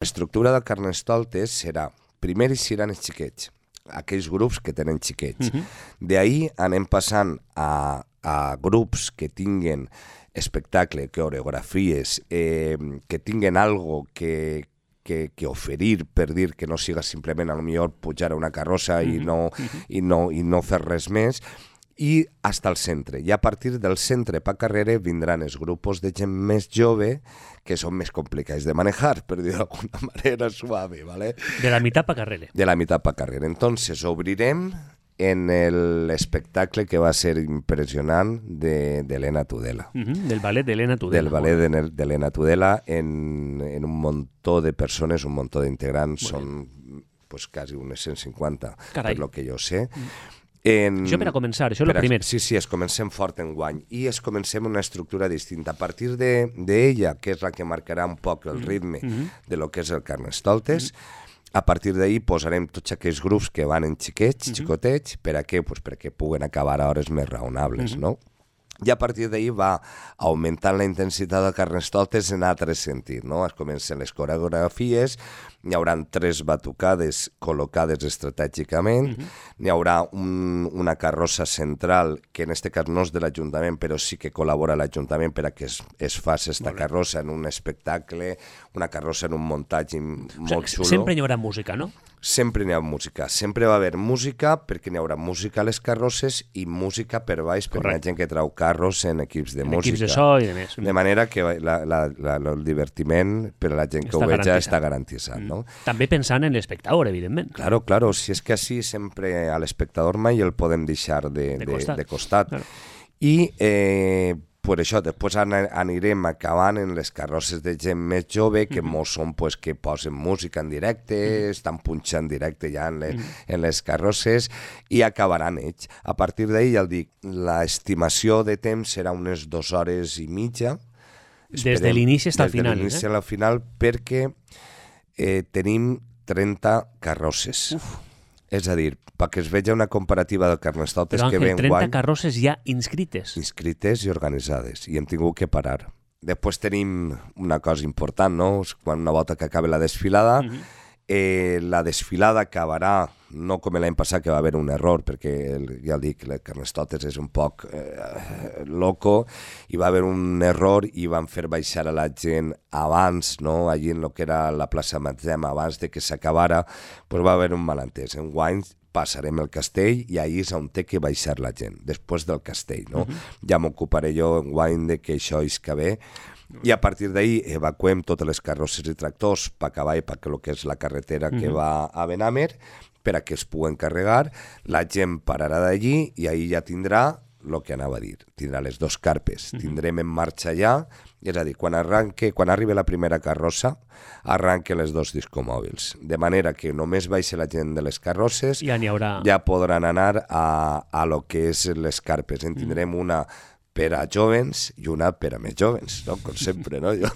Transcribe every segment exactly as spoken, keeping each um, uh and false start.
L'estructura del Carnestoltes serà, primer seran els xiquets, aquells grups que tenen xiquets. Uh-huh. D'ahir anem passant a, a grups que tinguen espectacle, coreografies, eh, que tinguen algo que, que, que oferir, per dir que no siga simplement a lo millor pujar a una carrossa uh-huh. i, no, uh-huh. i, no, i no fer res més, i fins al centre. I a partir del centre pa carrere vindran els grups de gent més jove que són més complicats de manejar, per dir d'alguna manera suave, ¿vale? De la mitad pa carrere. De la mitad pa carrere. Entonces, obrirem en l'espectacle que va ser impressionant d'Helena Tudela. Uh-huh, del ballet d'Helena Tudela. Del ballet d'Helena Tudela en, en un muntó de persones, un muntó d'integrants, són pues, quasi unes cent cinquanta, Carai. Per lo que jo sé. Mm. En... Això per a començar, això és el a... primer. Sí, sí, es comencem fort en guany i es comencem una estructura distinta. A partir d'ella, que és la que marcarà un poc el ritme mm-hmm. de lo que és el Carnestoltes, mm-hmm. a partir d'ahir posarem tots aquells grups que van en xiquets, mm-hmm. xicotets, per a què? Pues perquè puguen acabar a hores més raonables, mm-hmm. no? I a partir d'ahir va augmentant la intensitat del Carnestoltes en altre sentit, no? Es comencen les coreografies, n'hi haurà tres batucades col·locades estratègicament, uh-huh. n'hi haurà un, una carrossa central, que en aquest cas no és de l'Ajuntament, però sí que col·labora l'Ajuntament per a que es, es faci aquesta carrossa en un espectacle, una carrossa en un muntatge molt xulo. Sempre hi haurà música, no? Sempre n'hi ha música, sempre va haver música perquè n'hi haurà música a les carrosses i música per baix per la gent que trau carros en equips de en música. Equips de so i de més. De manera que la, la, la, el divertiment per a la gent que està ho veja està garantitzat. No? Mm. També pensant en l'espectador, evidentment. Claro, claro, si és que així sempre a l'espectador mai el podem deixar de, de, de costat. De costat. Claro. I eh, per això, després anirem acabant en les carrosses de gent més jove, que mm-hmm. molts són pues, que posen música en directe, mm-hmm. estan punxant directe ja en les, mm-hmm. en les carrosses, i acabaran ells. A partir d'ahir, ja el dic, l'estimació de temps serà unes dues hores i mitja. Esperem, des de l'inici fins al final. Des de l'inici eh? al final, perquè eh, tenim trenta carrosses. Uf. És a dir, perquè es veja una comparativa del Carnestoltes que ve en guany... Però, Àngel, trenta carrosses ja inscrites. Inscrites i organitzades, i hem tingut que parar. Després tenim una cosa important, no? Quan una volta que acabi la desfilada, mm-hmm. eh, la desfilada acabarà, no com l'any passat que va haver un error, perquè el, ja el dic, el Carnestoltes és un poc eh, loco, i va haver un error i van fer baixar a la gent abans, no? Allí en el que era la plaça Matzem, abans de que s'acabara, pues va haver un malentès. En guany passarem el castell i ahir és on té que baixar la gent, després del castell, no? Uh-huh. Ja m'ocuparé jo en guany de que això és que bé, i a partir d'ahir evacuem totes les carrosses i tractors per acabar i perquè el que és la carretera uh-huh. que va a Benamer, per a que es puguen carregar, la gent pararà d'allí i ahir ja tindrà el que anava a dir, tindrà les dos carpes, uh-huh. tindrem en marxa ja, és a dir, quan arranque, quan arribi la primera carrossa, arranque les dos discomòbils, de manera que només baixa la gent de les carrosses, ja, haurà... ja podran anar a, a lo que és les carpes, en tindrem uh-huh. una per a jovens i una per a més jovens, no? Com sempre, no? Jo,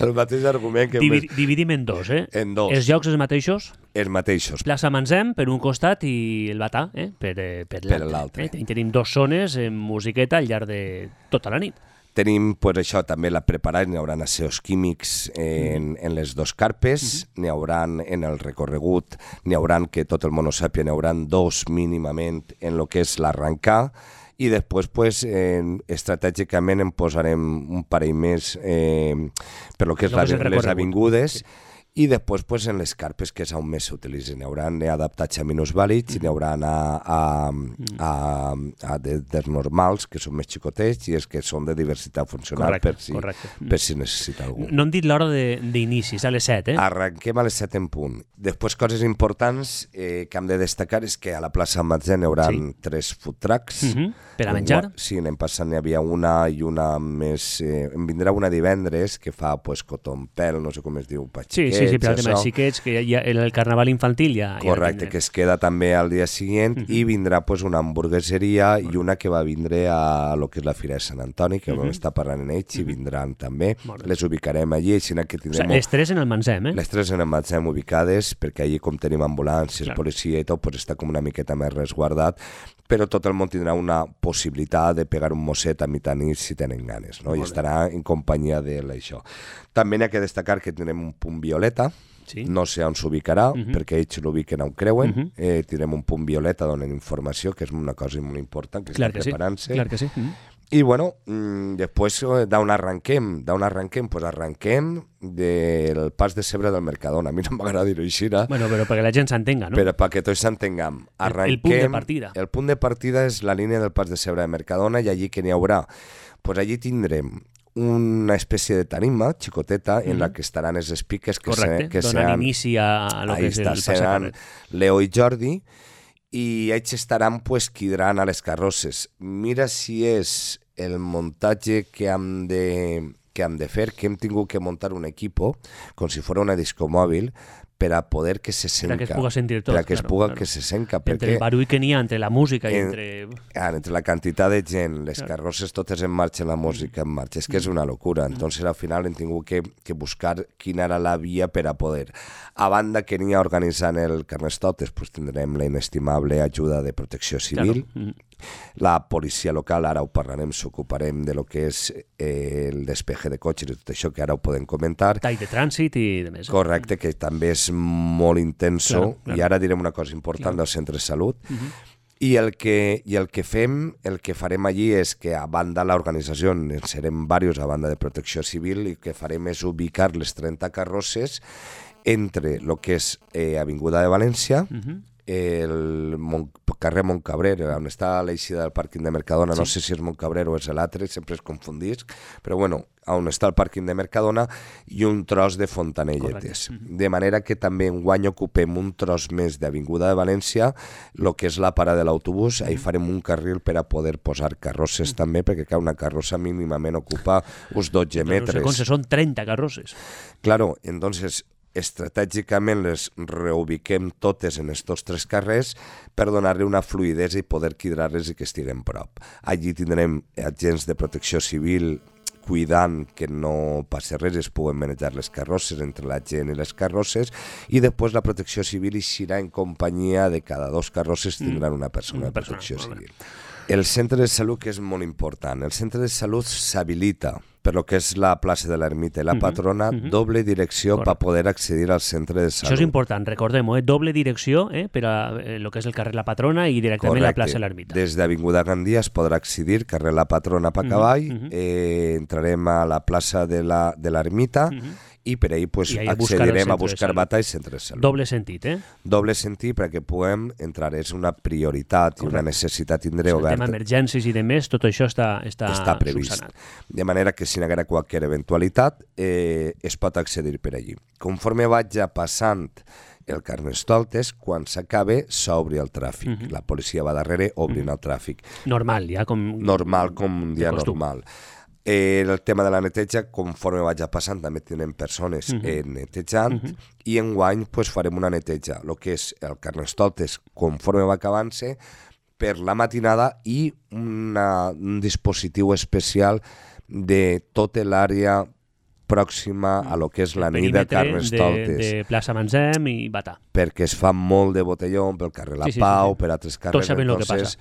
el mateix argument que... Divi- més... Dividim en dos, eh? En dos. Els llocs els mateixos? Els mateixos. Plaça Manzem per un costat i el Batà eh? per, per l'altre. Per l'altre. Eh? Tenim dos zones en musiqueta al llarg de tota la nit. Tenim, pues, això, també la preparada, n'hi haurà aseos químics en, en les dos carpes, uh-huh. n'hi haurà en el recorregut, n'hi haurà, que tot el món ho sàpia, n'hi haurà dos mínimament en el que és l'arrencar, i després, pues, eh, estratègicament en posarem un parell més eh, per lo que és la, les avingudes, sí. I després, pues, en les carpes que és on més s'utilitzen. N'hi haurà adaptats a minusvàlids, mm. n'hi haurà a, a, a, a de, dels normals, que són més xicotets, i els que són de diversitat funcional, correcte, per, si, correcte. per si necessita algú. No hem dit l'hora d'inici, és a les set, eh? Arranquem a les set en punt. Després, coses importants eh, que hem de destacar és que a la plaça Matzem hi haurà sí. tres food trucks. Mm-hmm. Per a menjar? Sí, l'any passat n'hi havia una i una més... Eh, em vindrà una divendres que fa, pues, cotonpel, no sé com es diu, patxiquets. Sí, sí, sí, per al tema de xiquets, que ja, en el carnaval infantil ja... Correcte, ja que es queda també al dia següent, uh-huh. i vindrà, pues, una hamburgueseria uh-huh. i una que va vindre a lo que és la Fira de Sant Antoni, que uh-huh. vam estar parlant en ells, uh-huh. i vindran també. Les ubicarem allí, així que tindrem... O sigui, les tres en el Manzem, eh? Les tres en el Manzem ubicades, perquè allí, com tenim ambulàncies, sí, policia i tot, pues, està com una miqueta més resguardat, però tot el món tindrà una possibilitat de pegar un mosset a mitjanit si tenen ganes, no? I estarà en companyia d'això. També n'hi ha que destacar que tindrem un punt violeta, sí. No sé on s'ubicarà, uh-huh. perquè ells l'ubiquen on creuen, uh-huh. eh, tindrem un punt violeta donen informació, que és una cosa molt important, que clar està que preparant-se. Sí. Clar que sí. Uh-huh. I bueno, mmm, després d'on arrenquem? D'on arrenquem? Pues arrenquem del pas de Cebre del Mercadona. A mi no m'agrada dir-ho així. Bueno, però perquè la gent s'entenga, no? Però perquè tots s'entengam. El, el punt de partida. El punt de partida és la línia del pas de Cebre del Mercadona i allí que n'hi haurà? Pues allí tindrem una espècie de tarima xicoteta en mm. la que estaran els speakers que, correcte, se, que donen seran, inici a lo que és el passacarrer. Leo i Jordi, i ells estaran pues, quidrant a les carrosses. Mira si és el muntatge que hem de, que hem de fer, que hem tingut que muntar un equipo, com si fos una discomòbil, per a poder que se senca. Per a que es puga sentir tot. Per a que claro, es puga claro. que se senca. Entre perquè, el barull que n'hi ha, entre la música i en, entre... Ah, entre la quantitat de gent, les claro. carrosses totes en marxa, la música en marxa, és que és una locura. Entonces al final hem tingut que, que buscar quina era la via per a poder. A banda que n'hi ha organitzant el Carnestoltes, pues tindrem la inestimable ajuda de Protecció Civil, claro. La policia local, ara ho parlarem, s'ocuparem de lo que és eh, el despeje de cotxes i tot això, que ara ho podem comentar. Tall de trànsit i de més. Correcte, que també és molt intenso, claro, claro. I ara direm una cosa important claro. Del centre de salut. Uh-huh. I el, que, I el que fem, el que farem allí és que a banda l'organització, serem diversos a banda de Protecció Civil, i el que farem és ubicar les trenta carrosses entre el que és eh, Avinguda de València, uh-huh. el Mont, carrer Montcabrer, on està l'eixida del pàrquing de Mercadona, sí. No sé si és Montcabrer o és l'altre, sempre es confundisc, però bueno, on està el pàrquing de Mercadona i un tros de Fontanelletes. Correcte. De manera que també enguany ocupem un tros més d'Avinguda de València, el que és la parada de l'autobús, ahí farem un carril per a poder posar carrosses també, perquè cada carrossa mínimament ocupa uns dotze metres. No sé com són trenta carrosses. Claro, entonces... estratègicament les reubiquem totes en estos tres carrers per donar-li una fluïdesa i poder quidrar-les i que estiguen prop. Allí tindrem agents de Protecció Civil cuidant que no passi res, es puguen manejar les carrosses entre la gent i les carrosses, i després la Protecció Civil eixirà en companyia de cada dos carrosses tindran una persona de Protecció Civil. El centre de salut, que és molt important, el centre de salut s'habilita per lo que és la plaça de l'Ermita i la Patrona, uh-huh, uh-huh. doble direcció per poder accedir al centre de salut. Això és important, recordem-ho, eh? Doble direcció eh? per a eh, lo que és el carrer La Patrona i directament Correcte. La plaça de l'Ermita. Des d'Avinguda Gandia es podrà accedir, carrer La Patrona per cavall, uh-huh, uh-huh. Eh, entrarem a la plaça de l'Ermita, uh-huh. i per ahir pues, accedirem a buscar bata i centre de salut. Doble sentit, eh? Doble sentit perquè puguem entrar. És una prioritat Correcte. I una necessitat tindre oberta. El tema emergències i de més, tot això està, està, està previst. Subsanat. De manera que si n'hi haguera qualsevol eventualitat eh, es pot accedir per allí. Conforme vaig passant el Carnestoltes, quan s'acabe s'obri el tràfic. Uh-huh. La policia va darrere obrint uh-huh. el tràfic. Normal, ja com... Normal, com un dia normal. Eh, el tema de la neteja, conforme vaig passant, també tenen persones uh-huh. eh, netejant, uh-huh. i enguany pues, farem una neteja, el que és el Carnestoltes, conforme va acabant-se, per la matinada, i una, un dispositiu especial de tota l'àrea pròxima a lo que és la nit de Carnestoltes. De, de plaça Manzem i Bata. Perquè es fa molt de botelló pel carrer La sí, sí, Pau, sí, sí. per altres carrers. Tots sabem el que passa.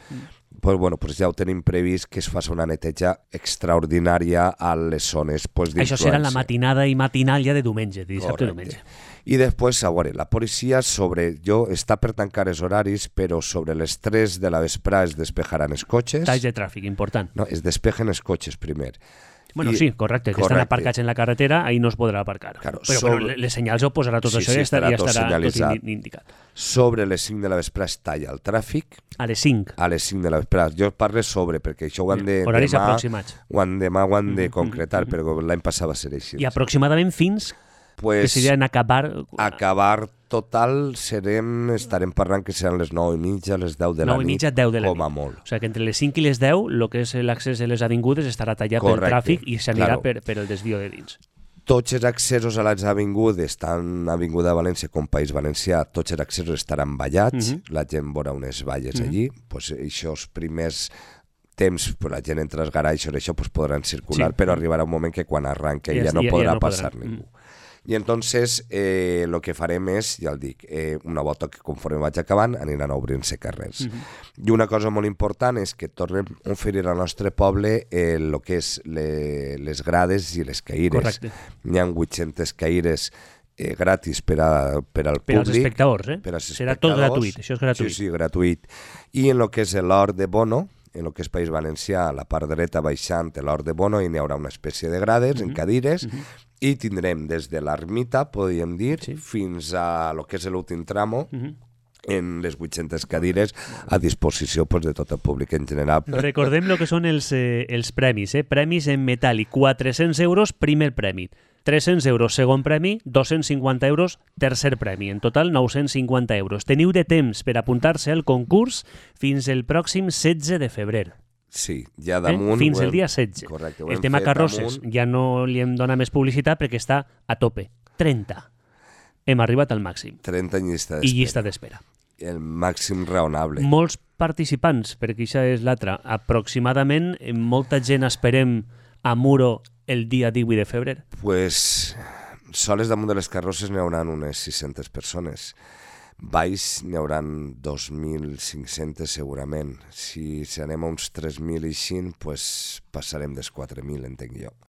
Pues, bueno, pues ja ho tenim previst que es faci una neteja extraordinària a les zones pues, d'influència. Això serà la matinada i matinal ja de diumenge, dissabte i diumenge. I després, a veure, la policia sobre... Jo està per tancar els horaris, però sobre les tres de la vesprada es despejaran els cotxes. Talls de tràfic, important. No, es despejen els cotxes primer. Bueno, I, sí, correcte, que correcte. Estan aparcats en la carretera, ahí no es podrà aparcar. Claro, però sobre... bueno, les senyals ho posarà tot sí, això sí, i estarà, ja estarà tot, tot indicat. Sobre les cinc de la vesprada es talla el tràfic. A les cinc? A les cinc de la vesprada. Jo parlo sobre, perquè això ho han de... Horaris demà, aproximats. Ho han, demà ho han de concretar, mm-hmm. però l'any passat va ser així. I aproximadament fins pues, que seria en acabar... Acabar total serem, estarem parlant que seran les nou i mitja, les deu de la nit, mitja, deu de la com a nit. molt. O sigui que entre les cinc i les deu, el que és l'accés a les avingudes estarà tallat Correcte. Pel tràfic i s'anirà claro. per, per el desvio de dins. Tots els accessos a les avingudes, tant Avinguda de València com País Valencià, tots els accessos estaran vallats, uh-huh. la gent veurà unes valles uh-huh. allí, pues, aquests primers temps, pues, la gent entre els garaixos, això pues, podran circular, sí. però arribarà un moment que quan arranca sí, ja no podrà ja no passar podran. Ningú. I entonces eh, lo que farem és, ja el dic, eh, una volta que conforme vaig acabant aniran obrint-se carrers. Mm-hmm. I una cosa molt important és que tornem a oferir al nostre poble el eh, que és le, les grades i les caires. Correcte. N'hi ha vuit-centes caires eh, gratis per, a, per al per públic. Als espectadors, eh? Per als Serà tot gratuït, això és gratuït. Sí, sí, gratuït. I en el que és l'hort de Bono, en el que és País Valencià, a la part dreta baixant l'hort de Bono, i n'hi haurà una espècie de grades, mm-hmm. en cadires, mm-hmm. i tindrem des de l'ermita, podríem dir, sí. fins a lo que és l'últim tramo, mm-hmm. en les vuit-centes cadires a disposició pues, de tot el públic en general. Recordem el que són els, eh, els premis. Eh? Premis en metàl·lic, quatre-cents euros, primer premi. tres-cents euros, segon premi, dos-cents cinquanta euros, tercer premi. En total, nou-cents cinquanta euros. Teniu de temps per apuntar-se al concurs fins el pròxim setze de febrer. Sí, ja damunt... Eh? Fins el dia setze. Correcte. El tema carrosses damunt... ja no li hem donat més publicitat perquè està a tope. trenta. Hem arribat al màxim. trenta en llista d'espera. I llista d'espera. El màxim raonable. Molts participants, perquè això és l'altre. Aproximadament, molta gent esperem a Muro el dia divuit de febrer. Pues, soles damunt de les carrosses n'hi haurà unes sis-centes persones. Baix n'hi haurà dos mil cinc-cents segurament. Si, si anem a uns tres mil i així, pues, passarem dels quatre mil, entenc jo.